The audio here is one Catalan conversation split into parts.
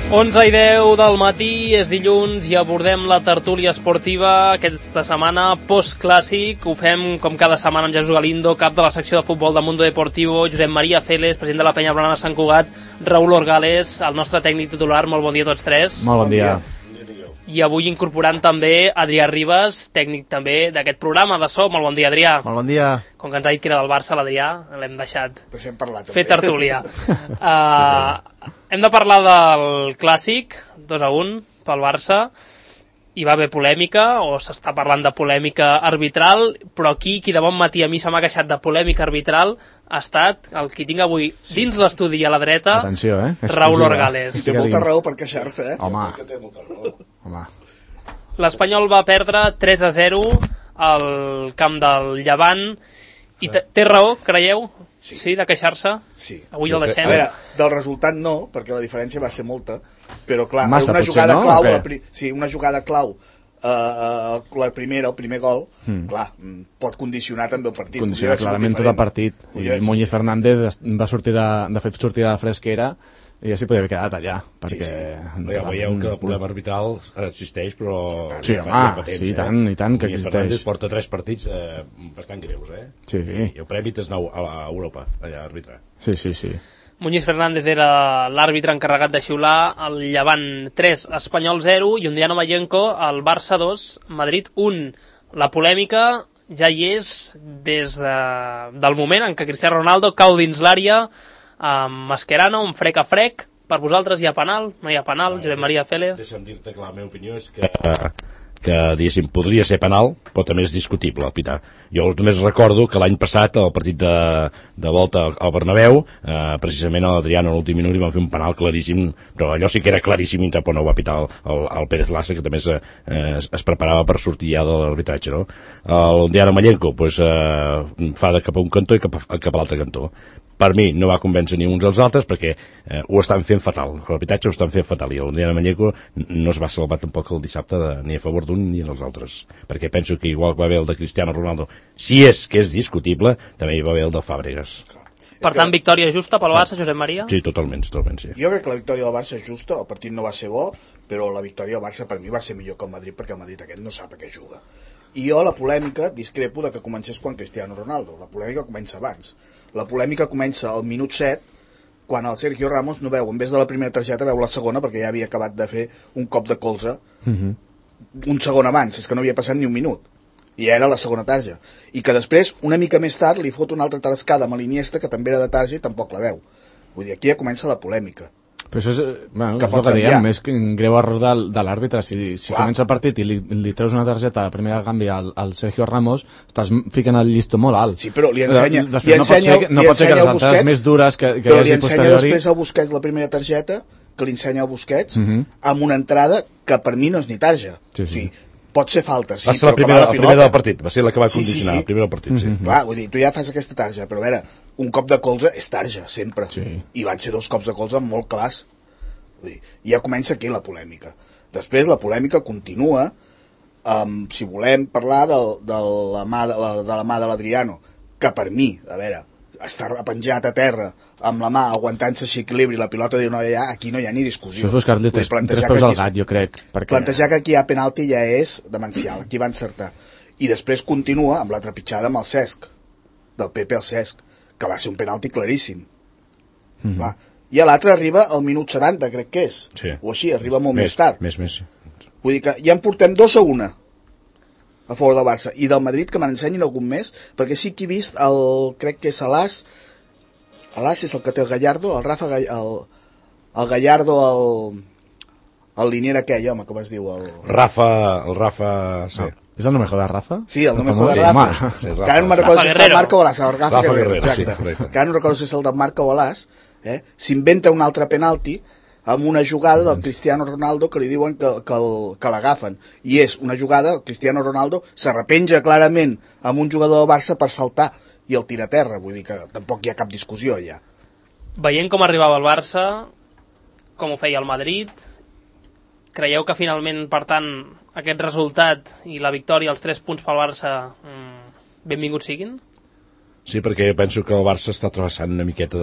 11:10 del matí, és dilluns i abordem la tertúlia esportiva aquesta setmana post-clàssic. Ho fem com cada setmana amb Jesús Galindo, cap de la secció de futbol de Mundo Deportivo, Josep Maria Félez, president de la Penya Blaugrana Sant Cugat, Raúl Orgales, el nostre tècnic titular. Molt bon dia a tots tres. Molt bon dia. I avui incorporant també Adrià Ribas, tècnic també d'aquest programa de so. Molt bon dia, Adrià. Molt bon dia. Com que ens ha dit que era del Barça, l'Adrià, l'hem deixat fer tertúlia. Hem de parlar del clàssic, 2-1 pel Barça. Hi va haver polèmica, o s'està parlant de polèmica arbitral, però aquí, qui de bon matí a mi se m'ha queixat de polèmica arbitral, ha estat el que tinc avui dins l'estudi a la dreta. Atenció, Raúl Orgales. I té molta raó per queixar-se, Home. L'Espanyol va perdre 3-0 al camp del Llevant. I té raó, creieu? Sí, de queixar-se? Sí. Avui el deixem. A veure, del resultat no, perquè la diferència va ser molta, però clar, massa, una potser, jugada no? clau, una jugada clau, el primer gol, clar, pot condicionar també el partit. Condiciona clarament tot el partit. I Muñiz Fernández va sortir de fer sortida de fresquera i ja s'hi podria haver quedat allà, perquè... Ja veieu que el problema arbitral existeix, però... Sí, home, sí, i tant que existeix. Fernández porta 3 partits bastant greus, Sí. I el premi és nou a Europa, allà a arbitrar. Sí. Muñiz Fernández era l'àrbitre encarregat de xiular el Llevant 3, Espanyol 0, i un dia Mayenko, el Barça 2, Madrid 1. La polèmica ja hi és des del moment en què Cristiano Ronaldo cau dins l'àrea amb Mascherano, un frec a frec. Per vosaltres hi ha penal? No hi ha penal? Josep Maria Félez? Deixa'm dir-te que la meva opinió és que diguéssim, podria ser penal, però també és discutible el pitar. Jo només recordo que l'any passat, al partit de volta al Bernabéu, precisament a l'Adriano a l'últim minut li van fer un penal claríssim, però allò sí que era claríssim i tampoc no ho va pitar el Pérez Lassa, que també es preparava per sortir ja de l'arbitratge, no? El Diana Mayenko fa de cap a un cantó i cap a l'altre cantó. Per mi no va convèncer ni uns als altres perquè ho estan fent fatal, l'arbitratge ho estan fent fatal, i el Diana Mayenko no es va salvar tampoc el dissabte ni a favor d'un ni dels altres, perquè penso que igual que va haver el de Cristiano Ronaldo, si és que és discutible, també hi va haver el de Fàbregas. Per tant, victòria justa pel Barça, Josep Maria? Sí, totalment, sí. Jo crec que la victòria del Barça és justa, el partit no va ser bo, però la victòria del Barça per mi va ser millor que el Madrid, perquè el Madrid aquest no sap a què juga. I jo la polèmica discrepo de que comencés quan Cristiano Ronaldo, la polèmica comença abans. La polèmica comença al minut 7, quan el Sergio Ramos no veu, en vez de la primera targeta, veu la segona, perquè ja havia acabat de fer un cop de colze un segon abans, és que no havia passat ni un minut. I era la segona tarja. I que després, una mica més tard, li fot una altra tarascada amb l'Iniesta, que també era de tarja i tampoc la veu. Vull dir, aquí ja comença la polèmica. Però això és el que diem, és un greu error de l'àrbitre. Si comença el partit i li treus una targeta a la primera canvi al Sergio Ramos, estàs ficant el llistó molt alt. Sí, però li ensenya no pot ser que les altres més dures que hi hagi posteriori... Però li ensenya després al Busquets la primera targeta, que li ensenya al Busquets, amb una entrada que per mi no és ni tarja. Sí. O sigui, pot ser falta, sí, va ser la primera del partit, va ser la que va condicionar el primer del partit, sí. Clar, vull dir, tu ja fas aquesta tarja, però a veure, un cop de colze és tarja, sempre. Sí. I van ser 2 cops de colze molt clars. Vull dir, ja comença aquí la polèmica. Després la polèmica continua, si volem parlar de la mà de l'Adriano, que per mi, a veure, està penjat a terra amb la mà aguantant-se així equilibri, la pilota diu no hi ha, aquí no hi ha ni discussió. Això és buscar-li tres peus al gat, jo crec. Plantejar que aquí hi ha penalti ja és demencial, aquí va encertar. I després continua amb la trepitjada amb el Cesc, del Pepe al Cesc, que va ser un penalti claríssim. Clar. I l'altre arriba al minut 70, crec que és. Sí. O així, arriba molt més tard. Més. Vull dir que ja en portem 2-1 a favor del Barça. I del Madrid, que m'ensenyin algun més, perquè sí que he vist crec que és Alàs és el que té el Gallardo, el Rafa el Gallardo, el linier aquell, home, com es diu? El Rafa... Sí. ¿Es el no me jodas, Rafa? Sí, el no me jodas, Rafa. Sí, que ara no me'n recordo si és el Marco Balàs, el Rafa Guerrero, exacte. Sí, que ara no recordo si és el del Marco Balàs, s'inventa un altre penalti amb una jugada del Cristiano Ronaldo que li diuen que l'agafen. I és una jugada, el Cristiano Ronaldo s'arrepenja clarament amb un jugador del Barça per saltar i el tira a terra, vull dir que tampoc hi ha cap discussió allà. Veient com arribava el Barça, com ho feia el Madrid, creieu que finalment, per tant, aquest resultat i la victòria, els 3 punts pel Barça, benvinguts siguin? Sí, perquè penso que el Barça està travessant una miqueta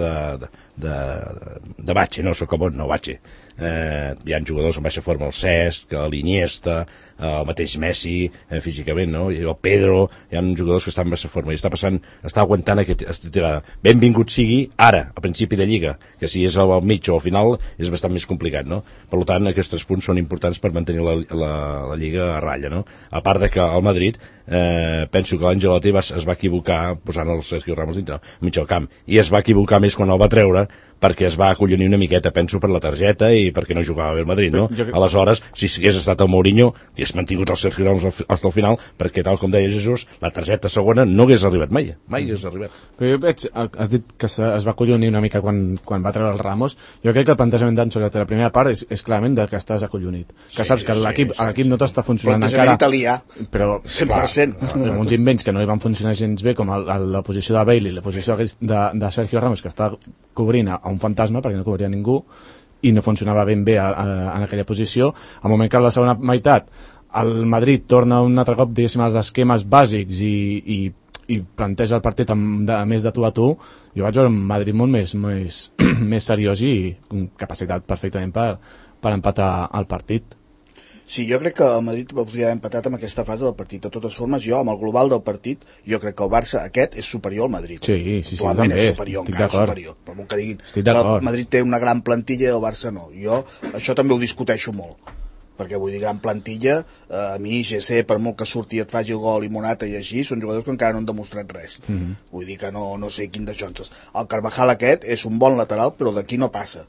de batxe, no sóc com no batxe. Hi ha jugadors en baixa forma, el Cesc, l'Iniesta, el mateix Messi, físicament, no? I el Pedro, hi ha jugadors que estan en baixa forma i està aguantant aquesta tirada. Benvingut sigui ara, a principi de Lliga, que si és al mig o al final és bastant més complicat, no? Per tant, aquests 3 punts són importants per mantenir la Lliga a ratlla, no? A part de que el Madrid, penso que l'Angelotti es va equivocar posant el Sergio Ramos dintre, mig del camp, i es va equivocar més quan el va treure perquè es va acollonir una miqueta, penso, per la targeta i perquè no jugava bé el Madrid, no? Aleshores, si hagués estat el Mourinho, hagués mantingut el Sergio Ramos fins al final, perquè, tal com deia Jesús, la targeta segona no hagués arribat mai hagués arribat. Però jo veig, has dit que es va acollonir una mica quan va treure el Ramos. Jo crec que el plantejament d'Ancelotti la primera part és clarament que estàs acollonit, que saps que l'equip no t'està funcionant encara, italià, però 100%. Amb uns invents que no li van funcionar gens bé, com la posició de Bale i la posició de Sergio Ramos, que està cobrint a un fantasma perquè no cobria ningú i no funcionava ben bé en aquella posició. Al moment que a la segona meitat el Madrid torna un altre cop, diguéssim, als esquemes bàsics i planteja el partit més de tu a tu, jo vaig veure un Madrid molt més seriós i amb capacitat perfectament per empatar el partit. Sí, jo crec que el Madrid podria haver empatat amb aquesta fase del partit. De totes formes, jo, amb el global del partit, jo crec que el Barça aquest és superior al Madrid. Sí, també, és superior, encara superior. Per molt que diguin que el Madrid té una gran plantilla i el Barça no. Jo això també ho discuteixo molt. Perquè vull dir, gran plantilla, a mi GC, per molt que surti et faci el gol i Morata i així, són jugadors que encara no han demostrat res. Vull dir que no sé quin de Johnson. El Carvajal aquest és un bon lateral, però d'aquí no passa.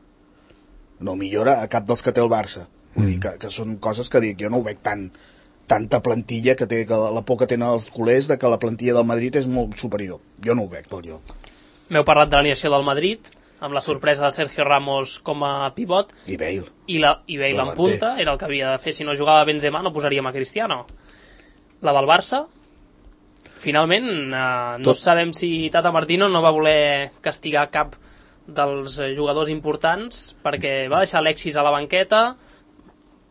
No millora a cap dels que té el Barça. Vull dir que són coses que dic, jo no ho veig tanta plantilla que la por que tenen els culers de que la plantilla del Madrid és molt superior. Jo no ho veig pel lloc. M'heu parlat de l'alineació del Madrid, amb la sorpresa de Sergio Ramos com a pivot. I Bale. I Bale en punta, era el que havia de fer. Si no jugava Benzema no posaríem a Cristiano. La del Barça, finalment, no sabem si Tata Martino no va voler castigar cap dels jugadors importants perquè va deixar Alexis a la banqueta.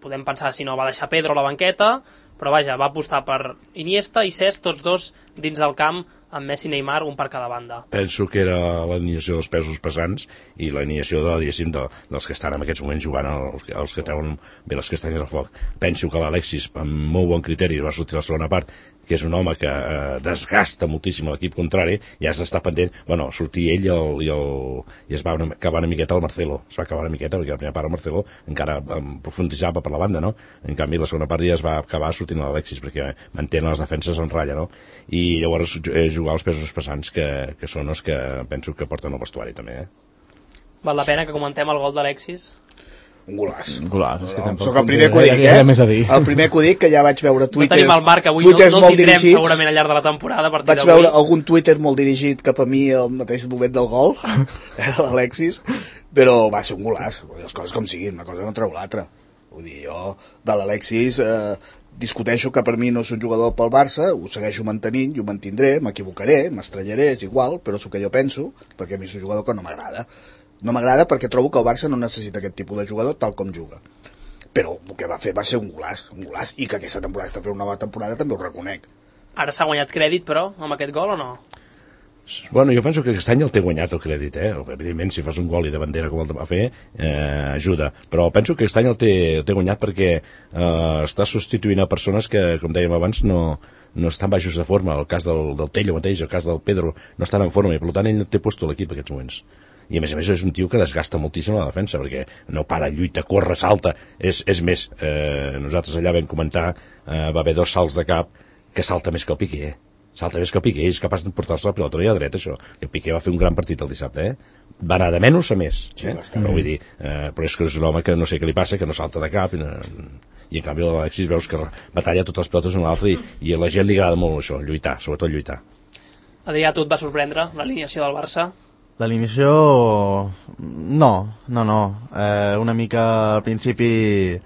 Podem pensar si no va deixar Pedro a la banqueta, però vaja, va apostar per Iniesta i Cesc, tots dos dins del camp, amb Messi i Neymar, un per cada banda. Penso que era l'alineació dels pesos pesants i l'alineació dels que estan en aquests moments jugant, els que treuen bé les castanyes al foc. Penso que l'Alexis, amb molt bon criteri, va sortir a la segona part, que és un home que desgasta moltíssim l'equip contrari, i has d'estar pendent, sortir ell i es va acabar una miqueta el Marcelo, es va acabar una miqueta, perquè la primera part el Marcelo encara profunditzava per la banda, no? En canvi la segona part ja es va acabar sortint l'Alexis, perquè mantenen les defenses en ratlla, no? I llavors jugar els pesos pesants, que són els que penso que porten el vestuari també, Val la pena que comentem el gol d'Alexis? Un golaç. Soc el primer que ho dic, El primer que ho dic, que ja vaig veure tuiters... No tenim el Marc avui, no el tindrem segurament al llarg de la temporada. Vaig veure algun Twitter molt dirigit cap a mi al mateix moment del gol, l'Alexis, però va ser un golaç. Les coses com siguin, una cosa no treu l'altra. Vull dir, jo de l'Alexis discuteixo que per mi no és un jugador pel Barça, ho segueixo mantenint i ho mantindré, m'equivocaré, m'estrellaré, és igual, però és el que jo penso, perquè a mi és un jugador que no m'agrada. No m'agrada perquè trobo que el Barça no necessita aquest tipus de jugador tal com juga. Però el que va fer va ser un golaç, i que aquesta temporada està fent una nova temporada també ho reconec. Ara s'ha guanyat crèdit, però, amb aquest gol o no? Bueno, jo penso que aquest any el té guanyat el crèdit, Evidentment, si fas un gol i de bandera com el va fer, ajuda. Però penso que aquest any el té guanyat perquè està substituint a persones que, com dèiem abans, no estan baixos de forma. El cas del Tello mateix, el cas del Pedro, no estan en forma i, per tant, ell té puesto l'equip en aquests moments. I a més és un tio que desgasta moltíssim la defensa, perquè no para, lluita, corre, salta. És més, nosaltres allà vam comentar, va haver 2 salts de cap que salta més que el Piqué, salta més que el Piqué, és capaç de portar-se la pilota i a dreta, això. El Piqué va fer un gran partit el dissabte, va anar de menys a més, però vull dir, però és que és un home que no sé què li passa, que no salta de cap, i en canvi l'Alexis veus que batalla totes les pilotes una a l'altra, i a la gent li agrada molt això, lluitar, sobretot lluitar. Adrià, tu et va sorprendre l'alineació del Barça? L'alineació... No. Una mica al principi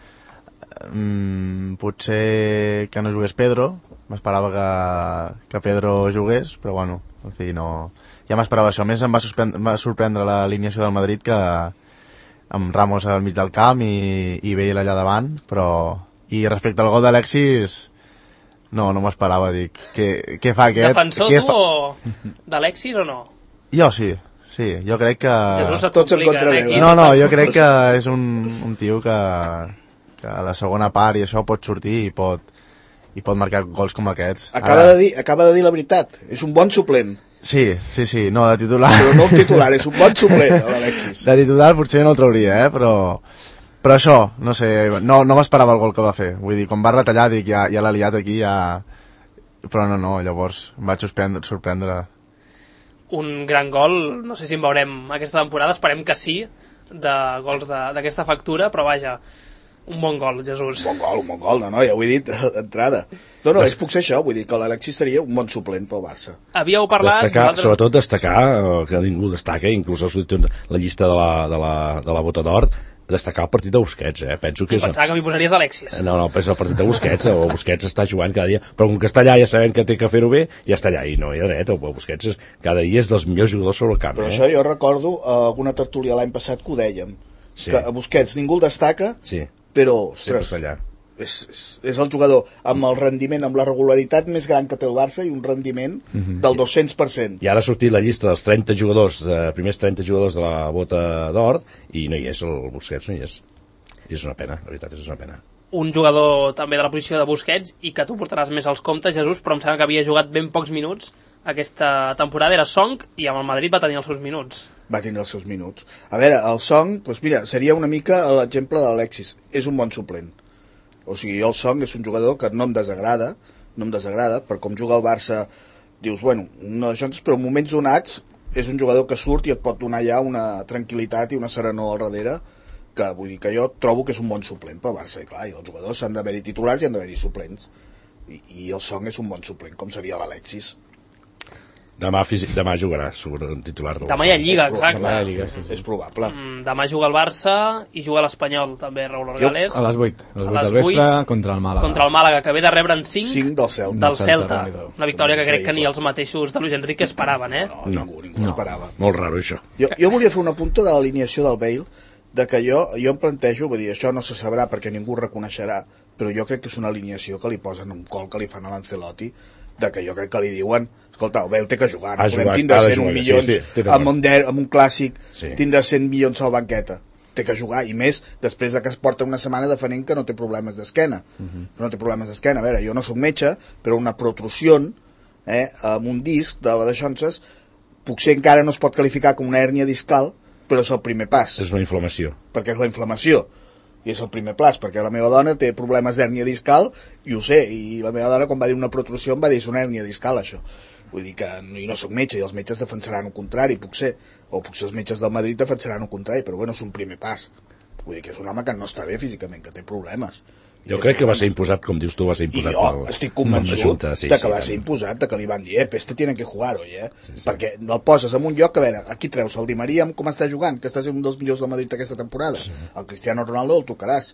potser que no jugués Pedro, m'esperava que Pedro jugués, però bueno, en fi, no... Ja m'esperava això. A més, em va sorprendre l'alineació del Madrid, que amb Ramos al mig del camp i Bale allà davant, però... I respecte al gol d'Alexis, no m'esperava, dic, què fa aquest? Defensor tu d'Alexis o no? Jo sí, Sí, jo crec que... Tots en contra d'ell. No, jo crec que és un tio que a la segona part i això pot sortir i pot marcar gols com aquests. Acaba de dir la veritat, és un bon suplent. Sí, no, de titular... Però no un titular, és un bon suplent, l'Alexis. De titular potser no el trauria, però això, no sé, no m'esperava el gol que va fer. Vull dir, quan va retallar dic, ja l'ha liat aquí, ja... Però no, llavors em vaig sorprendre. Un gran gol, no sé si en veurem aquesta temporada, esperem que sí, de gols d'aquesta factura, però vaja, un bon gol, Jesús. Un bon gol, no, ja ho he dit d'entrada. No, puc ser això, vull dir que l'Alexis seria un bon suplent pel Barça. Havíeu parlat... Sobretot destacar, que ningú destaca, inclús la llista de la Bota d'Or, destacar el partit de Busquets, penso que és... Pensava que m'hi posaries Alexis. No, és el partit de Busquets, o Busquets està jugant cada dia, però com que està allà ja sabem que té que fer-ho bé, ja està allà, i no hi ha dret, el Busquets cada dia és dels millors jugadors sobre el camp. Però això jo recordo alguna tertúlia l'any passat que ho dèiem, que a Busquets ningú el destaca, però, ostres, és el jugador amb el rendiment, amb la regularitat més gran que té el Barça i un rendiment del 200%. I ara ha sortit la llista dels 30 jugadors, primers 30 jugadors de la Bota d'Or, i no hi és, el Busquets no hi és. I és una pena, la veritat, és una pena. Un jugador també de la posició de Busquets, i que tu portaràs més als comptes, Jesús, però em sembla que havia jugat ben pocs minuts aquesta temporada, era Song, i amb el Madrid va tenir els seus minuts. Va tindre els seus minuts. A veure, el Song, doncs mira, seria una mica l'exemple de l'Alexis. És un bon suplent. O sigui, el Song és un jugador que no em desagrada, per com juga el Barça, dius, bueno, no d'això, però en moments donats és un jugador que surt i et pot donar ja una tranquil·litat i una serenor al darrere, que vull dir que jo trobo que és un bon suplent pel Barça, i clar, i els jugadors s'han d'haver-hi titulars i han d'haver-hi suplents, i el Song és un bon suplent, com seria l'Alexis. Demà jugarà, segur, un titular. Demà hi ha Lliga, exacte. És probable. Demà juga el Barça i juga l'Espanyol, també, Raúl Orgales. A les 8 del vespre, contra el Màlaga. Contra el Màlaga, que ve de rebre en 5 del Celta. Una victòria que crec que ni els mateixos de Luis Enrique esperaven, No, ningú esperava. Molt raro, això. Jo volia fer un apunt de l'alineació del Bale, de que jo em plantejo, vull dir, això no se sabrà perquè ningú ho reconeixerà, però jo crec que és una alineació que li posen un col que li fan a l'Ancelotti, de que jo crec que li diuen, escolta, el Bale té que jugar, no podem tindre 100 milions amb un clàssic, tindre 100 milions a la banqueta, té que jugar, i més després de que es porta una setmana defendent que no té problemes d'esquena. No té problemes d'esquena. A veure, jo no soc metge, però una protrusió amb un disc de la deixonses potser encara no es pot qualificar com una hèrnia discal, però és el primer pas. És una inflamació. Perquè és la inflamació. I és el primer pas, perquè la meva dona té problemes d'hèrnia discal, i ho sé, i la meva dona quan va dir una protrusió em va dir és una hèrnia discal, això. Vull dir que jo no soc metge, i els metges defensaran el contrari, potser els metges del Madrid defensaran el contrari, però bueno, és un primer pas. Vull dir que és un home que no està bé físicament, que té problemes. Jo crec que va ser imposat, com dius tu, va ser imposat. I jo estic convençut de que va ser imposat, de que li van dir, este tiene que jugar, oi, perquè el poses en un lloc, a veure, aquí treus el Di Maria com està jugant, que està sent un dels millors del Madrid aquesta temporada, el Cristiano Ronaldo el tocaràs,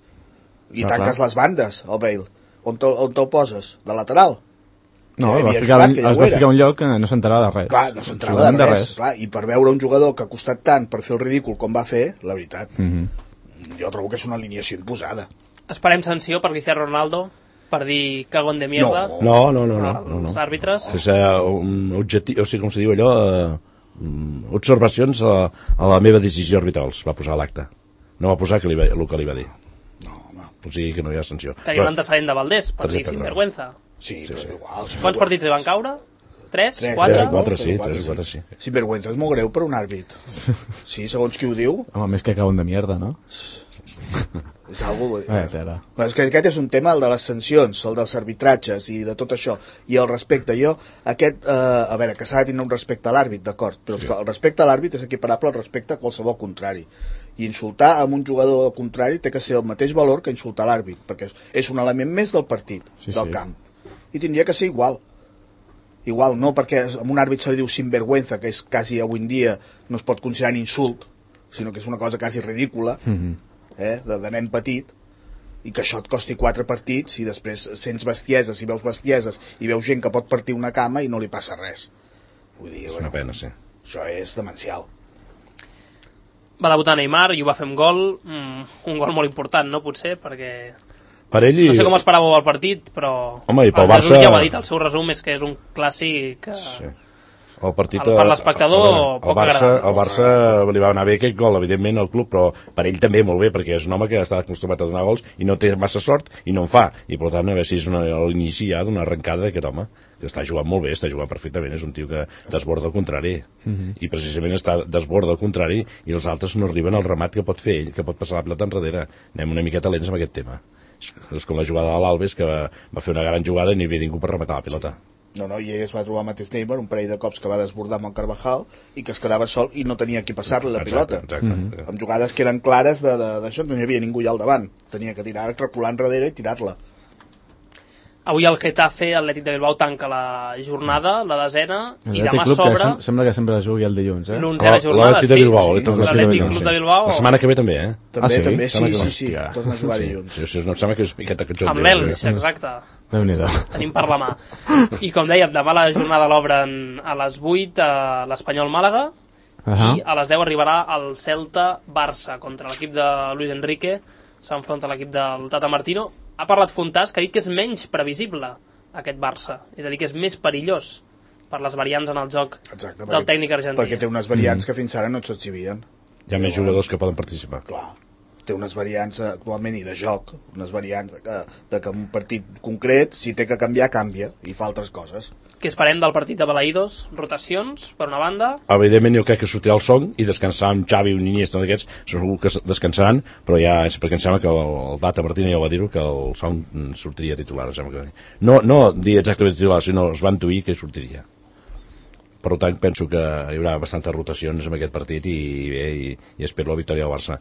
i tanques les bandes, el Bale, on te'l poses? De lateral? No, es va ficar un lloc que no s'enterava de res. Clar, no s'enterava de res. Clar, i per veure un jugador que ha costat tant per fer el ridícul com va fer, la veritat, jo trobo que és una alineació imposada. Esperem sanció per Cristiano Ronaldo per dir cagón de mierda. No. Els àrbitres. És un objectiu, o sigui, com se diu allò, observacions a la meva decisió arbitrals, va posar a l'acte. No va posar el que li va dir. No. O sigui que no hi ha sanció. Tenia un antecedent de Valdés, per dir sinvergüenza. Sí, però és igual. Quants partits li van caure? 3? 4, sí. Sinvergüenza és molt greu per un àrbit. Sí, segons qui ho diu. Home, més que cagón de mierda, no? És algo... És que aquest és un tema, el de les sancions, el dels arbitratges i de tot això, i el respecte. Jo, a veure, que s'ha de tenir un respecte a l'àrbit, d'acord, però el respecte a l'àrbit és equiparable al respecte a qualsevol contrari. I insultar a un jugador contrari té que ser el mateix valor que insultar l'àrbit, perquè és un element més del partit, del camp. I tindria que ser igual. Igual, no perquè a un àrbit se li diu sinvergüenza, que és quasi avui en dia no es pot considerar un insult, sinó que és una cosa quasi ridícula, de nen petit, i que això et costi 4 partits i després sents bestieses i veus gent que pot partir una cama i no li passa res. Vull dir, és una pena, sí. Això és demencial. Va debutar Neymar i ho va fer amb gol, un gol molt important, no? Potser, perquè... Per ell no sé com esperàveu el partit, però... Home, i pel Barça... ja ho ha dit, el seu resum és que és un clàssic... Sí. El partit per l'espectador poc agradable. El Barça li va anar bé aquest gol, evidentment, al club, però per ell també molt bé, perquè és un home que està acostumat a donar gols i no té massa sort i no en fa. I per tant, a veure si és l'inici ja d'una arrencada d'aquest home, que està jugant molt bé, està jugant perfectament, és un tio que desborda al contrari. I precisament està desborda al contrari i els altres no arriben al remat que pot fer ell, que pot passar la pilota enrere. Anem una miqueta lents amb aquest tema. És com la jugada de l'Alves, que va fer una gran jugada i no hi havia ningú per rematar la pilota. No, i ell es va trobar el mateix Neymar, un parell de cops que va desbordar amb el Carvajal i que es quedava sol i no tenia qui passar-li la pilota. Exacte. Amb jugades que eren clares d'això, no hi havia ningú allà al davant. Tenia que tirar, recular enrere i tirar-la. Avui el Getafe, Atlètic de Bilbao, tanca la jornada, la desena, i demà Club, s'obre... Sembla que sempre jugui el dilluns, l'onzena jornada, l'Atlètic de Bilbao, l'Atlètic Club de Bilbao. La setmana que ve també, eh? També, sí, torna a jugar dilluns. Sí, no em sembla que és miqueta que amb l'Elx, exacte. Déu-n'hi-do. Tenim per la mà. I com dèiem, demà la jornada l'obren a les 8 a l'Espanyol Màlaga, i a les 10 arribarà el Celta-Barça contra l'equip de Luis Enrique, s'enfronta l'equip del Tata Martino. Ha parlat Fontàs, que ha dit que és menys previsible aquest Barça, és a dir, que és més perillós per les variants en el joc del tècnic argentí. Perquè té unes variants que fins ara no s'exhibien. Hi ha més jugadors que poden participar. Clar, té unes variants actualment i de joc, unes variants de que un partit concret, si té que canviar, canvia, i fa altres coses. Què esperem del partit de Balaïdos? Rotacions, per una banda? Evidentment jo crec que sortirà el Song i descansar amb Xavi, un Iniesta d'aquests, segur que descansaran, però ja és perquè em sembla que el Tata Martino ja va dir-ho, que el Song sortiria titular. No dir exactament titular, sinó es van intuir que sortiria. Per tant, penso que hi haurà bastantes rotacions en aquest partit i espero la victòria del Barça.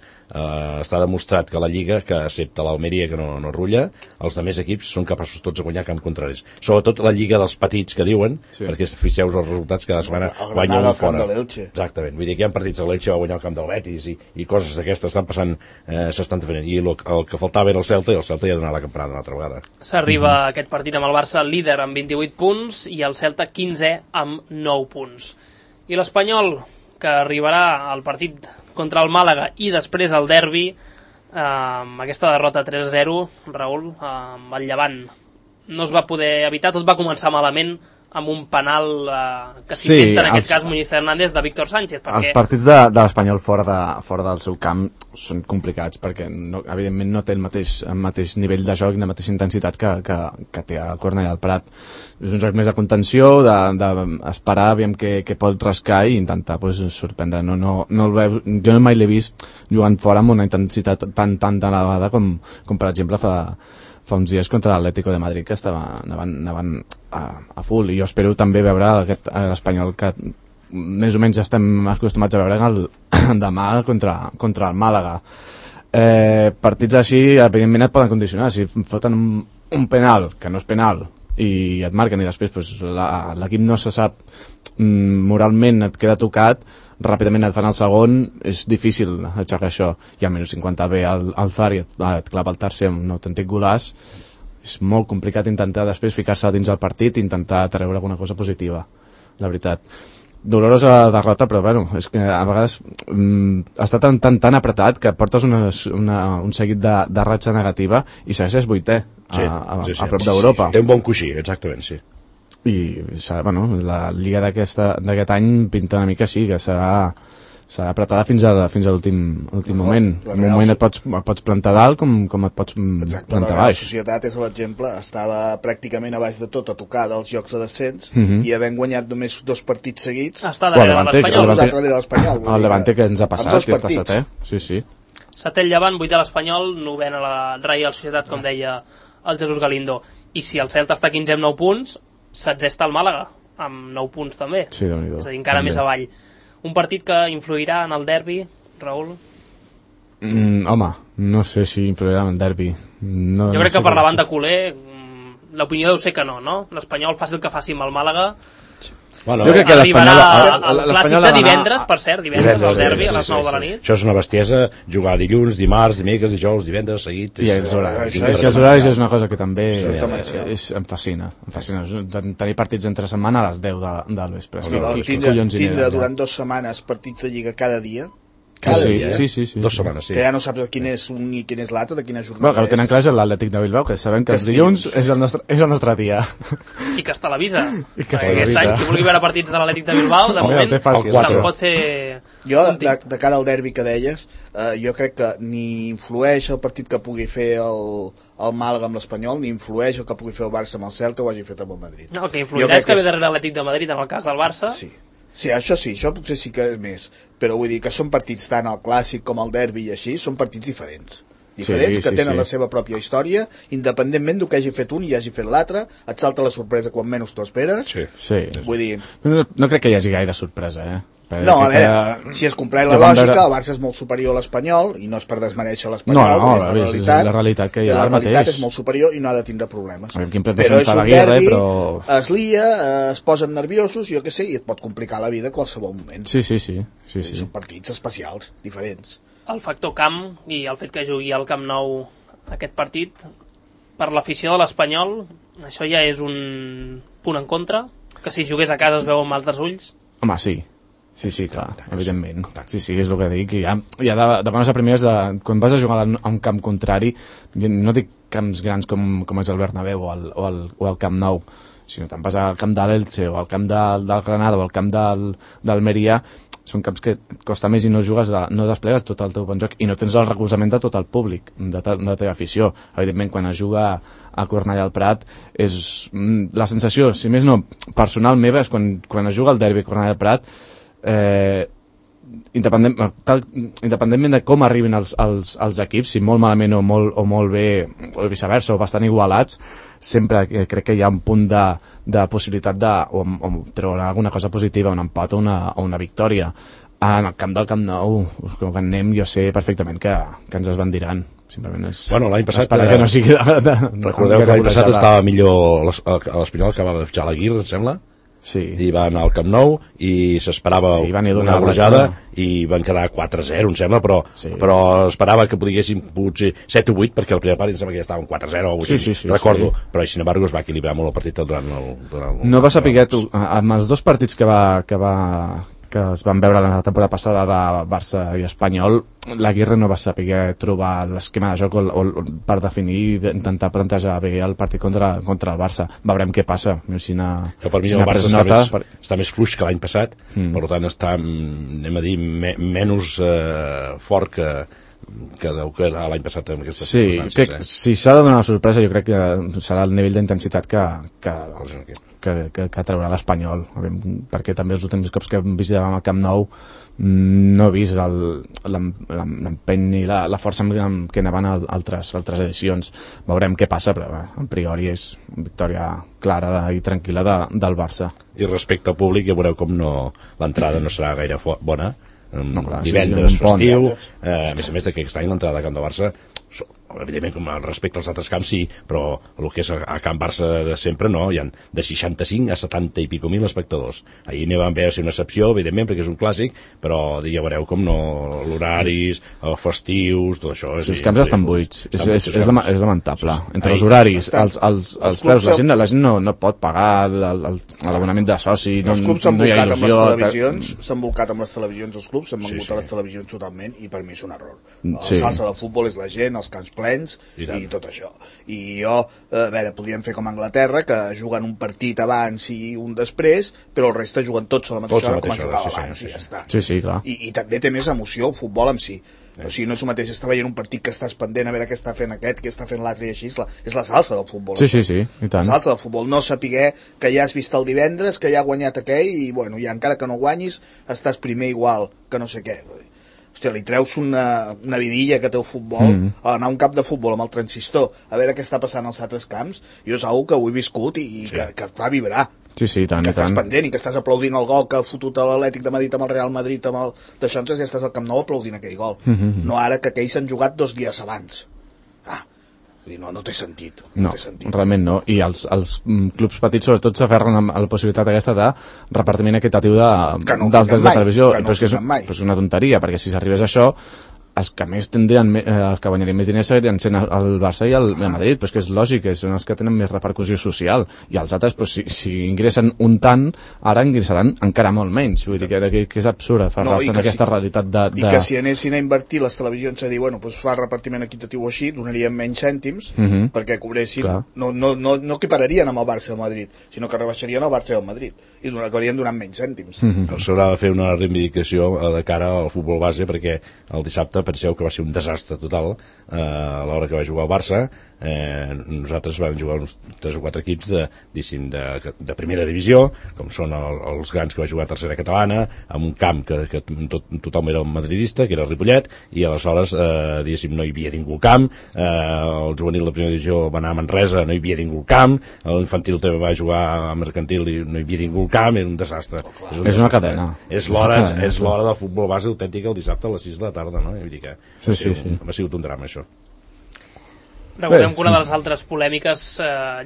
Està demostrat que la Lliga, que excepte l'Almeria que no rulla, els altres equips són capaços tots de guanyar camp contraris. Sobretot la Lliga dels petits que diuen, perquè fixeu-vos els resultats cada setmana guanya un fora. Exactament, vull dir que hi ha partits de l'Elche va guanyar el camp del Betis i coses d'aquestes estan passant, s'estan fent. I el que faltava era el Celta i el Celta ja ha donat la campanada una altra vegada. S'arriba a aquest partit amb el Barça líder amb 28 punts i el Celta 15è amb 9 punts. I l'Espanyol, que arribarà al partit contra el Màlaga i després al derbi, amb aquesta derrota 3-0, Raül, amb el Llevant. No es va poder evitar, tot va començar malament amb un penal que s'inventa en aquest cas Muñiz Hernández de Víctor Sánchez. Els partits de l'Espanyol fora del seu camp són complicats perquè evidentment no té el mateix nivell de joc i la mateixa intensitat que té a Cornellà del Prat. És un joc més de contenció, d'esperar aviam què pot rascar i intentar sorprendre. Jo mai l'he vist jugant fora amb una intensitat tan elevada com per exemple fa uns dies contra l'Atlético de Madrid, que anaven a full, i jo espero també veure l'Espanyol que més o menys estem acostumats a veure demà contra el Màlaga. Partits així evidentment et poden condicionar. Si foten un penal que no és penal i et marquen i després l'equip no se sap, moralment et queda tocat, ràpidament et fan el segon, és difícil aixecar això, i al minut 50 ve el Zar i et clava el tercer amb un autèntic golaç. És molt complicat intentar després ficar-se dins el partit i intentar treure alguna cosa positiva, la veritat. Dolorosa derrota, però bueno, és que a vegades està tan apretat que portes un seguit de ratxa negativa i segueixes vuitè a prop d'Europa. Té un bon coixí, exactament, sí. I la Lliga d'aquest any pinta una mica així, que serà apretada fins a l'últim moment. En un moment et pots plantar dalt com et pots plantar baix. La Societat és l'exemple, estava pràcticament a baix de tot, a tocar dels jocs de descens, i havent guanyat només 2 partits seguits està darrere de l'Espanyol. El Levante que ens ha passat, que està setè. Sí. Setè el Llevant, 8è l'Espanyol, 9è la Reial Societat, com deia el Jesús Galindo. I si el Celta està 15 amb 9 punts, 16è està el Màlaga, amb 9 punts també. Sí, Déu-n'hi-do. És a dir, encara més avall. Un partit que influirà en el derbi, Raül? Home, no sé si influirà en el derbi. Jo crec que per la banda culer, l'opinió deu ser que no? L'Espanyol faci el que faci amb el Màlaga. Bueno, jo crec que arribarà al clàssic de divendres, per cert, divendres al derbi, a les 9 de la nit. Això és una bestiesa, jugar dilluns, dimarts, dimecres, dijous, divendres, seguits. I els horaris és una cosa que també em fascina. Tenir partits entre setmana a les 10 del vespre. Tindre durant 2 setmanes partits de Lliga cada dia, Sí. 2 setmanes, sí. Que ja no saps quin és un i quin és l'altre, de quina jornada bueno, que ho tenen clar és l'Atlètic de Bilbao, que sabem que els dilluns és el nostre dia. I que es televisa. Aquest any, qui vulgui veure partits de l'Atlètic de Bilbao, de moment se'n pot fer... Jo, de cara al derbi que deies, jo crec que ni influeix el partit que pugui fer el Màlaga amb l'Espanyol, ni influeix el que pugui fer el Barça amb el Celta o hagi fet amb el Madrid. No, el que influirà és que ve darrere l'Atlètic de Madrid en el cas del Barça. Sí, això potser sí que és més, però vull dir que són partits tant el clàssic com el derbi i així, són partits diferents que tenen la seva pròpia història, independentment del que hagi fet un i hagi fet l'altre, et salta la sorpresa quan menys t'ho esperes. Vull dir... No crec que hi hagi gaire sorpresa, No, a veure, si es compleix la lògica, el Barça és molt superior a l'Espanyol, i no és per desmereixer l'Espanyol, és la realitat que hi ha ara mateix. La realitat és molt superior i no ha de tindre problemes. Però és un derbi, es lia, es posen nerviosos, jo què sé, i et pot complicar la vida a qualsevol moment. Sí. Són partits especials, diferents. El factor camp i el fet que jugui al Camp Nou aquest partit, per l'afició de l'Espanyol, això ja és un punt en contra, que si jugués a casa es veu amb altres ulls. Home, sí, clar, evidentment. Sí, és el que dic. Ja de bones a primeres, quan vas a jugar a un camp contrari, no dic camps grans com és el Bernabéu o el Camp Nou, sinó te'n vas al camp de l'Elche o al camp del Granada o al camp d'Almeria, són camps que et costa més i no desplegues tot el teu bon joc i no tens el recolzament de tot el públic, de la teva afició. Evidentment, quan es juga a Cornellà al Prat, és la sensació, si més no, personal meva, és quan es juga al derbi a Cornellà al Prat, independentment de com arribin els equips, si molt malament o molt bé, o viceversa, o bastant igualats, sempre crec que hi ha un punt de possibilitat o treure alguna cosa positiva, un empat o una victòria. En el camp del Camp Nou, que anem, jo sé perfectament que ens es bandiran. Simplement és... Bueno, l'any passat... que no sigui recordeu que l'any passat estava millor l'Espanyol, que va fitxar l'Aguirre, em sembla? Sí. I va anar al Camp Nou i s'esperava una golejada i van quedar 4-0, em sembla, però esperava que podiguessin potser 7 o 8, perquè el primer part em sembla que ja estava 4-0 o 8, recordo, però sin embargo es va equilibrar molt el partit durant el no va saber tu, amb els dos partits que es van veure la temporada passada de Barça i Espanyol, l'Aguirre no va saber trobar l'esquema de joc per definir i intentar plantejar bé el partit contra el Barça. Veurem què passa. Per mi el Barça està més fluix que l'any passat, per tant està, anem a dir, menys fort que l'any passat amb aquestes circumstàncies. Si s'ha de donar una sorpresa, jo crec que serà el nivell d'intensitat que traurà l'Espanyol, perquè també els últims cops que visitàvem el Camp Nou no he vist l'empeny ni la força amb què anaven altres edicions. Veurem què passa, però a priori és una victòria clara i tranquil·la del Barça. I respecte al públic, ja veureu com l'entrada no serà gaire bona. Divendres festiu, a més d'aquest any l'entrada de Camp de Barça, evidentment com respecte als altres camps sí, però el que és a Camp Barça de sempre no, hi ha de 65 a 70 i pico mil espectadors. Ahir n'hi van haver ser una excepció, evidentment, perquè és un clàssic, però ja veureu com no, l'horaris, els festius, tot això. Els camps estan buits, és lamentable. Entre els horaris, els preus, la gent no pot pagar l'abonament de soci, els clubs s'han volcat amb les televisions, els clubs s'han vengut a les televisions totalment, i per mi és un error. La salsa del futbol és la gent, els camps plens i tot això. I jo, a veure, podríem fer com a Anglaterra, que juguen un partit abans i un després, però el reste juguen tots a la mateixa hora com es jugava abans i ja està. Sí, clar. I també té més emoció el futbol en si. O sigui, no és el mateix estar veient un partit que estàs pendent a veure què està fent aquest, què està fent l'altre i així, és la salsa del futbol. Sí, i tant. La salsa del futbol, no saber que ja has vist el divendres, que ja ha guanyat aquell i, bueno, ja encara que no guanyis, estàs primer igual que no sé què. Hòstia, li treus una vidilla que té el futbol, anar a un camp de futbol amb el transistor, a veure què està passant als altres camps, jo és una que ho he viscut i que et fa vibrar. Sí, tant, que estàs pendent i que estàs aplaudint el gol que ha fotut a l'Atlètic de Madrid amb el Real Madrid d'això, ja estàs al Camp Nou aplaudint aquell gol. No ara que aquells s'han jugat 2 dies abans. No té sentit. No, realment no. I els clubs petits sobretot s'aferren a la possibilitat aquesta de repartiment equitatiu dels drets de televisió. Però és una tonteria, perquè si s'arribés a això els que més tindrien, els que guanyarien més diners serien sent el Barça i el Madrid, però és que és lògic, són els que tenen més repercussió social, i els altres, però si ingressen un tant, ara ingressaran encara molt menys, vull dir que és absurd aferrar-se en aquesta realitat i que si anessin a invertir les televisions a dir, bueno, doncs fa repartiment equitatiu així, donarien menys cèntims perquè cobressin, no equipararien amb el Barça i el Madrid, sinó que rebaixarien el Barça i el Madrid i acabarien donant menys cèntims. S'haurà de fer una reivindicació de cara al futbol base, perquè el dissabte penseu que va ser un desastre total a l'hora que va jugar el Barça. Nosaltres vam jugar uns 3 o 4 equips de primera divisió, com són els grans que va jugar a tercera catalana, amb un camp que tothom era un madridista, que era Ripollet, i aleshores diguéssim no hi havia ningú al camp. El juvenil de primera divisió va anar a Manresa, no hi havia ningú al camp. L'infantil també va jugar a Mercantil i no hi havia ningú al camp. Era un desastre. És una cadena. És l'hora del futbol base autèntica el dissabte a les 6 de la tarda, no? Vull dir que ha sigut un drama, això. Recordem que una de les altres polèmiques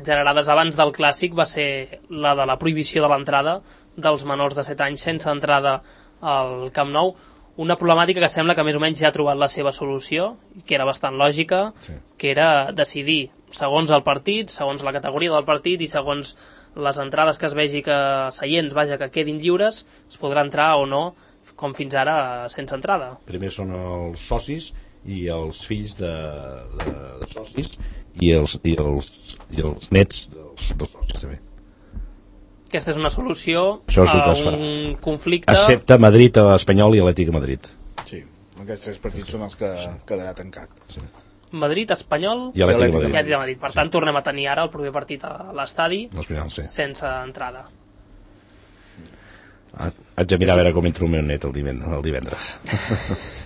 generades abans del Clàssic va ser la de la prohibició de l'entrada dels menors de 7 anys sense entrada al Camp Nou, una problemàtica que sembla que més o menys ja ha trobat la seva solució, que era bastant lògica, que era decidir, segons el partit, segons la categoria del partit i segons les entrades que es vegi que seients, que quedin lliures, es podrà entrar o no, com fins ara, sense entrada. Primer són els socis i els fills de socis i els nets dels socis també. Aquesta és una solució a un conflicte... Excepte Madrid, Espanyol i Atlètic de Madrid. Sí, aquests 3 partits són els que quedarà tancat. Sí. Madrid, Espanyol i Atlètic de Madrid. Per tant, tornem a tenir ara el proper partit a l'estadi sense entrada. Haig de mirar a veure com entra el meu net el divendres.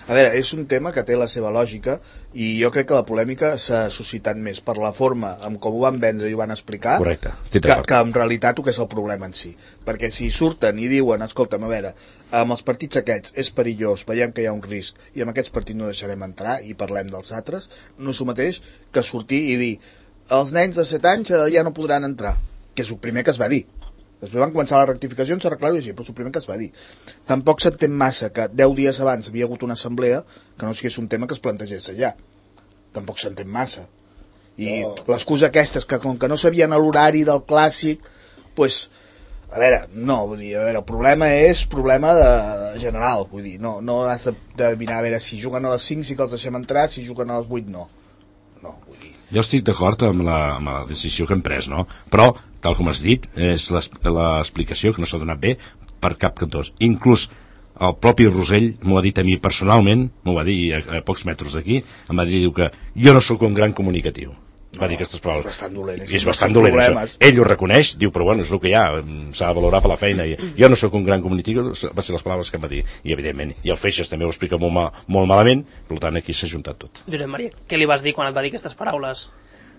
A veure, és un tema que té la seva lògica i jo crec que la polèmica s'ha suscitat més per la forma amb com ho van vendre i ho van explicar. Correcte, que en realitat el que és el problema en si. Perquè si surten i diuen, escolta'm, a veure, amb els partits aquests és perillós, veiem que hi ha un risc i amb aquests partits no deixarem entrar i parlem dels altres, no és el mateix que sortir i dir els nens de 7 anys ja no podran entrar, que és el primer que es va dir. Després van començar les rectificacions, s'arreglar-ho així, però és el primer que es va dir. Tampoc s'entén massa que 10 dies abans havia hagut una assemblea que no sigués un tema que es plantegés allà. Tampoc s'entén massa. I l'excusa aquesta és que com que no sabien l'horari del Clàssic, doncs, a veure, no, vull dir, a veure, el problema és problema general, vull dir, no has de mirar a veure si juguen a les 5 sí que els deixem entrar, si juguen a les 8 no. No, vull dir. Jo estic d'acord amb la decisió que hem pres, no? Però tal com has dit, és l'explicació que no s'ha donat bé per cap cantó. Inclús el propi Rosell m'ho ha dit a mi personalment, m'ho va dir a pocs metres d'aquí, em va dir que jo no sóc un gran comunicatiu. Va dir aquestes paraules. Bastant dolent. És bastant dolent. Ell ho reconeix, diu, però bueno, és el que hi ha, s'ha de valorar per la feina. Jo no sóc un gran comunicatiu, va ser les paraules que em va dir. I evidentment, i el Feixes també ho explica molt malament, per tant aquí s'ha juntat tot. Josep Maria, què li vas dir quan et va dir aquestes paraules?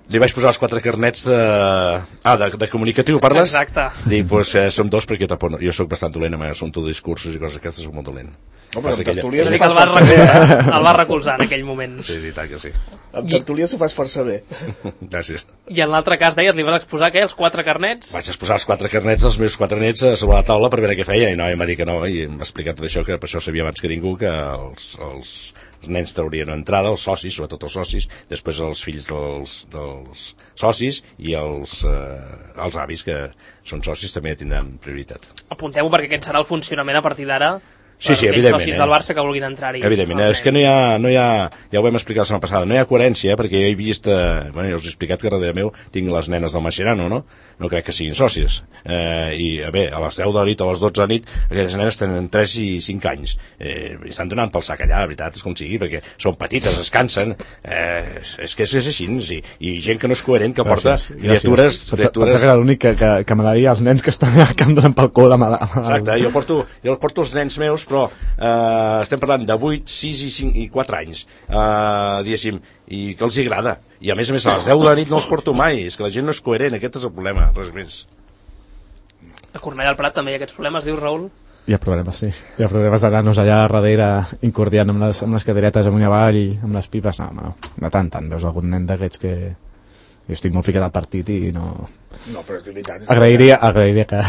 Li vaig posar els 4 carnets de comunicatiu, parles? Exacte. Dic, doncs som 2 perquè jo soc bastant dolent amb assumpte de discursos i coses aquestes, soc molt dolent. No, però amb tertúlies ho fas força bé. El va recolzar en aquell moment. Sí, tant que sí. Amb tertúlies ho fas força bé. Gràcies. I en l'altre cas deies, li vas exposar què, els 4 carnets? Vaig exposar els 4 carnets dels meus 4 nets sobre la taula per veure què feia, i no, em va dir que no, i em va explicar tot això, que per això sabia abans que ningú que els nens traurien entrada, els socis, sobretot els socis, després els fills dels socis i els avis que són socis també tindran prioritat. Apuntem-ho perquè aquest serà el funcionament a partir d'ara. Sí, evidentment. Socis del Barça que vulguin entrar-hi. Evidentment, és que no hi ha, ja ho vam explicar la setmana passada, no hi ha coherència, perquè jo he vist, jo us he explicat que darrere meu tinc les nenes del Mascherano, no? No crec que siguin sòcies. I bé, a les 10 de la nit o a les 12 de la nit, aquelles nenes tenen 3 i 5 anys. I estan donant pel sac allà, la veritat, és com sigui, perquè són petites, es cansen. És que és així, i gent que no és coherent, que porta criatures... Pensa que era l'únic que me deia els nens que estan allà que em donen pel cul amb Exacte, jo porto els nens meus, però estem parlant de 8, 6 i 4 anys, diguéssim, i que els agrada. I a més a les 10 de la nit no els porto mai, és que la gent no és coherent, aquest és el problema, res més. A Cornellà del Prat també hi ha aquests problemes, diu Raül? Hi ha problemes, sí. Hi ha problemes d'anar-nos allà darrere incordiant amb les cadeiretes amunt i avall, amb les pipes. No, de tant, veus algun nen d'aquests que Jo estic molt ficat al partit i no... No, però és veritat. Agrairia que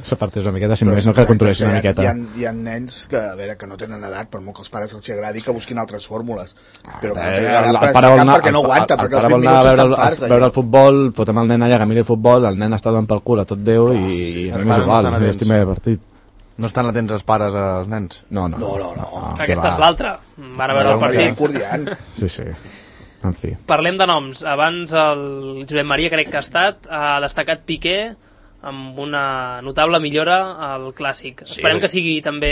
s'apartés una miqueta, si només no que controlessin una miqueta. Hi ha nens que, a veure, que no tenen edat, per molt que els pares els agradi que busquin altres fórmules. Però no tenen edat per estar camp perquè no aguanta, perquè els 20 minuts estan farts veure el futbol, fotem el nen allà que miri el futbol, el nen està donant pel cul a tot Déu i a mi és igual, estic bé partit. No estan atents els pares als nens? No. Aquesta és l'altra. Van a veure el partit. Sí. En fi. Parlem de noms. Abans el Josep Maria, crec que ha estat, ha destacat Piqué amb una notable millora al Clàssic. Esperem que sigui també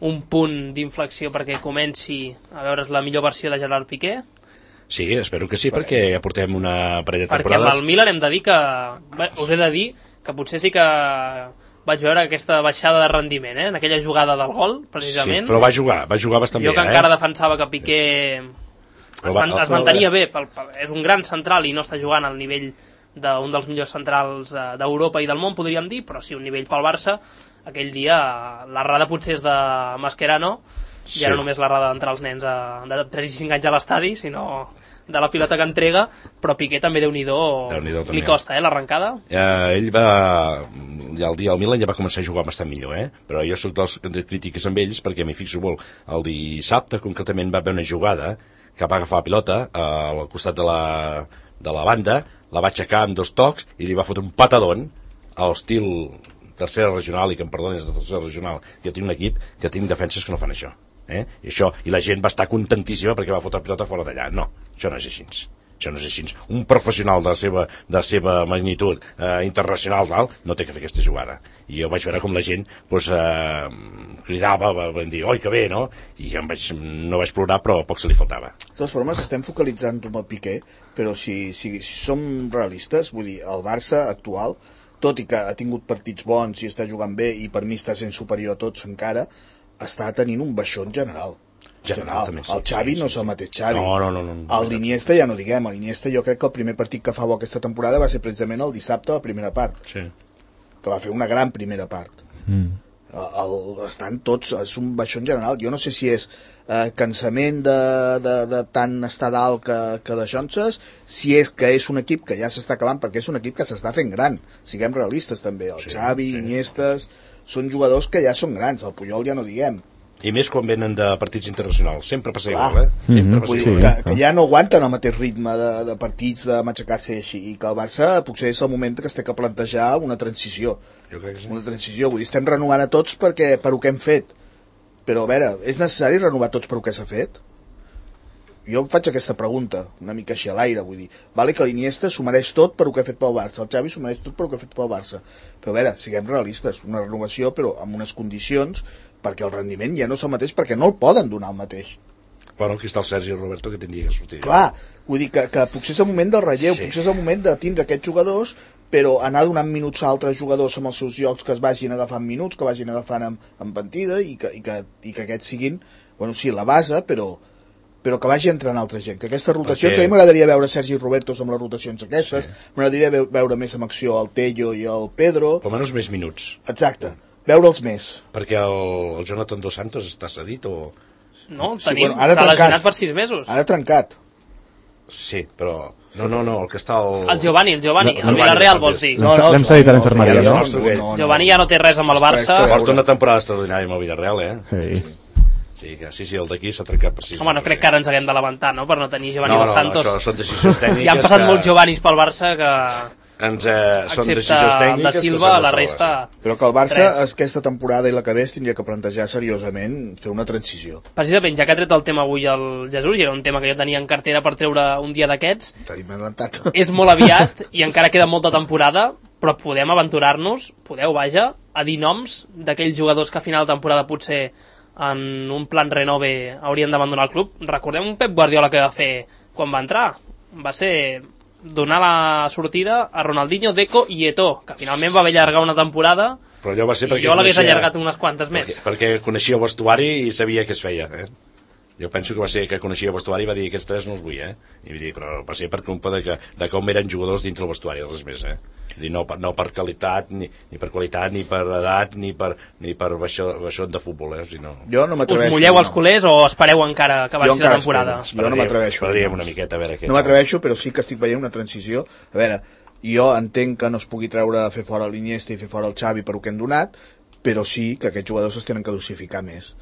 un punt d'inflexió perquè comenci a veure's la millor versió de Gerard Piqué. Sí, espero que sí, perquè ja portem una parella de temporades. Perquè amb el Milan hem de dir que... us he de dir que potser sí que vaig veure aquesta baixada de rendiment, en aquella jugada del gol, precisament. Sí, però va jugar bastant bé. Jo que encara defensava que Piqué es mantenia bé, és un gran central i no està jugant al nivell d'un dels millors centrals d'Europa i del món, podríem dir, però sí, un nivell pel Barça. Aquell dia l'errada potser és de Mascherano, ja no només l'errada d'entrar els nens de 3 i 5 anys a l'estadi, sinó de la pilota que entrega, però Piqué també Déu-n'hi-do li costa, l'arrencada. Ell va... Ja el dia del Milan ja va començar a jugar bastant millor, però jo soc dels crítiques amb ells perquè m'hi fixo molt. El dissabte, concretament, va haver una jugada que va agafar la pilota al costat de la banda, la va aixecar amb 2 tocs i li va fotre un patadón a l'estil tercera regional, i que em perdonis de tercera regional, que jo tinc un equip que tinc defenses que no fan això. I la gent va estar contentíssima perquè va fotre la pilota fora d'allà. No, això no és així. Un professional de la seva magnitud internacional no té que fer aquesta jugada. I jo vaig veure com la gent cridava, van dir, oi, que bé, no? I no vaig plorar, però poc se li faltava. De totes formes, estem focalitzant amb el Piqué, però si som realistes, vull dir, el Barça actual, tot i que ha tingut partits bons i està jugant bé i per mi està sent superior a tots encara, està tenint un baixón general. El Xavi no és el mateix Xavi. No. L'Iniesta ja no diguem. L'Iniesta jo crec que el primer partit que fa bo aquesta temporada va ser precisament el dissabte a la primera part. Sí. Que va fer una gran primera part. Estan tots... És un baixón general. Jo no sé si és cansament de tant estar dalt que deixonses, si és que és un equip que ja s'està acabant, perquè és un equip que s'està fent gran. Siguem realistes també. El Xavi, Iniestes... Són jugadors que ja són grans, el Puyol ja no diguem. I més quan venen de partits internacionals. Sempre passa igual, Sempre passa igual. Que ja no aguanten el mateix ritme de partits, de matxacar-se així, i que el Barça potser és el moment que es té que plantejar una transició. Jo crec que sí. Una transició, vull dir, estem renovant a tots per ho que hem fet. Però, a veure, és necessari renovar tots per ho que s'ha fet? Jo em faig aquesta pregunta, una mica així a l'aire, vull dir, vale que l'Iniesta s'ho mereix tot per ho que ha fet pel Barça, el Xavi s'ho mereix tot per ho que ha fet pel Barça, però a veure, siguem realistes, una renovació però amb unes condicions perquè el rendiment ja no és el mateix, perquè no el poden donar el mateix. Bueno, aquí està el Sergi Roberto que tindria que sortir. Clar, vull dir que potser és el moment del relleu, potser és el moment de tindre aquests jugadors, però anar donant minuts a altres jugadors amb els seus llocs que es vagin agafant minuts, que vagin agafant amb partida i que aquests siguin, bueno, sí, la base, però que vagi entrant altra gent, que aquestes rotacions, a mi m'agradaria veure Sergi Robertos amb les rotacions aquestes, m'agradaria veure més amb acció el Tello i el Pedro. Per almenys més minuts. Exacte, veure'ls més. Perquè el Jonathan Dos Santos està cedit o... No, està lesionat per 6 mesos. Ara trencat. Sí, però... No, el que està... El Giovanni, el Villarreal vols dir. L'hem cedit a l'infermeria, no? Giovanni ja no té res amb el Barça. Porta una temporada extraordinària amb el Villarreal, Sí. Sí, el d'aquí s'ha trencat per 6 mesos. Home, no crec que ara ens haguem de lamentar, no?, per no tenir Giovanni Dos Santos. No, això són decisions tècniques. Ja han passat molts Giovannis pel Barça que... Són decisions tècniques de Silva, la resta... Però que el Barça aquesta temporada i la que ve es tindria que plantejar seriosament fer una transició. Precisament, ja que ha tret el tema avui el Jesús, i era un tema que jo tenia en cartera per treure un dia d'aquests, és molt aviat i encara queda molta temporada, però podem aventurar-nos, a dir noms d'aquells jugadors que a final de temporada potser en un plan renove haurien d'abandonar el club. Recordem un Pep Guardiola que va fer quan va entrar, va ser donar la sortida a Ronaldinho, Deco i Eto'o, que finalment va haver allargar una temporada, però allò va ser i jo l'hagués allargat unes quantes més. Perquè coneixia el vestuari i sabia què es feia, Jo penso que va ser que coneixia el vestuari i va dir aquests 3 no els vull, I va dir, però va ser per culpa de com eren jugadors dintre el vestuari, res més, I no per qualitat, ni per qualitat, ni per edat, ni per baixó de futbol, sinó... Jo no m'atreveixo. Us mulleu els culers o espereu encara que acabi la temporada? Jo no m'atreveixo. Una miqueta, a veure què... No m'atreveixo, però sí que estic veient una transició. A veure, jo entenc que no es pugui treure fer fora l'Iniesta i fer fora el Xavi per ho que hem donat, però sí que aquests jugadors es tenen que dosificar més.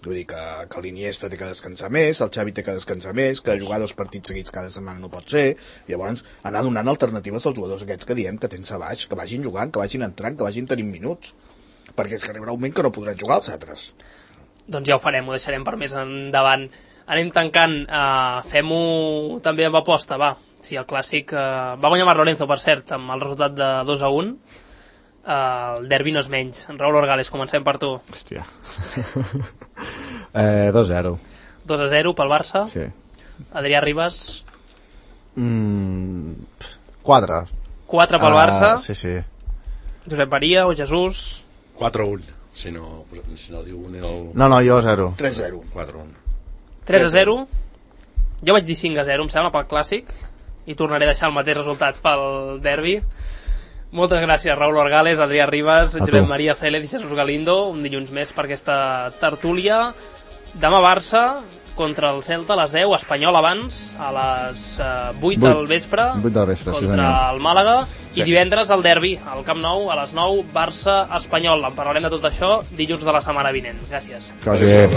Vull dir que l'Iniesta té que descansar més, el Xavi té que descansar més, que jugar 2 partits seguits cada setmana no pot ser, llavors anar donant alternatives als jugadors aquests que diem que tens a baix, que vagin jugant, que vagin entrant, que vagin tenint minuts, perquè és que arribarà un moment que no podran jugar els altres. Doncs ja ho farem, ho deixarem per més endavant. Anem tancant, fem-ho també amb aposta, va. Sí, el clàssic va guanyar Marc Lorenzo, per cert, amb el resultat de 2-1. El derbi no és menys. Raúl Orgales, comencem per tu. Hòstia. 2-0. 2-0 pel Barça. Sí. Adrià Ribas. 4. 4 pel Barça. Sí. Josep Maria o Jesús. 4-1. Si no diu un... No, jo 0. 3-0. 4-1. 3-0. Jo vaig dir 5-0, em sembla, pel clàssic. I tornaré a deixar el mateix resultat pel derbi. Moltes gràcies, Raúl Orgales, Adrià Ribas, Josep Maria Félez i Jesús Galindo. Un dilluns més per aquesta tertúlia. Demà Barça contra el Celta a les 10, Espanyol abans, a les 8 del vespre, 8 del vespre contra el Màlaga, i divendres el derbi, al Camp Nou, a les 9, Barça-Espanyol. En parlarem de tot això dilluns de la setmana vinent. Gràcies. Gràcies.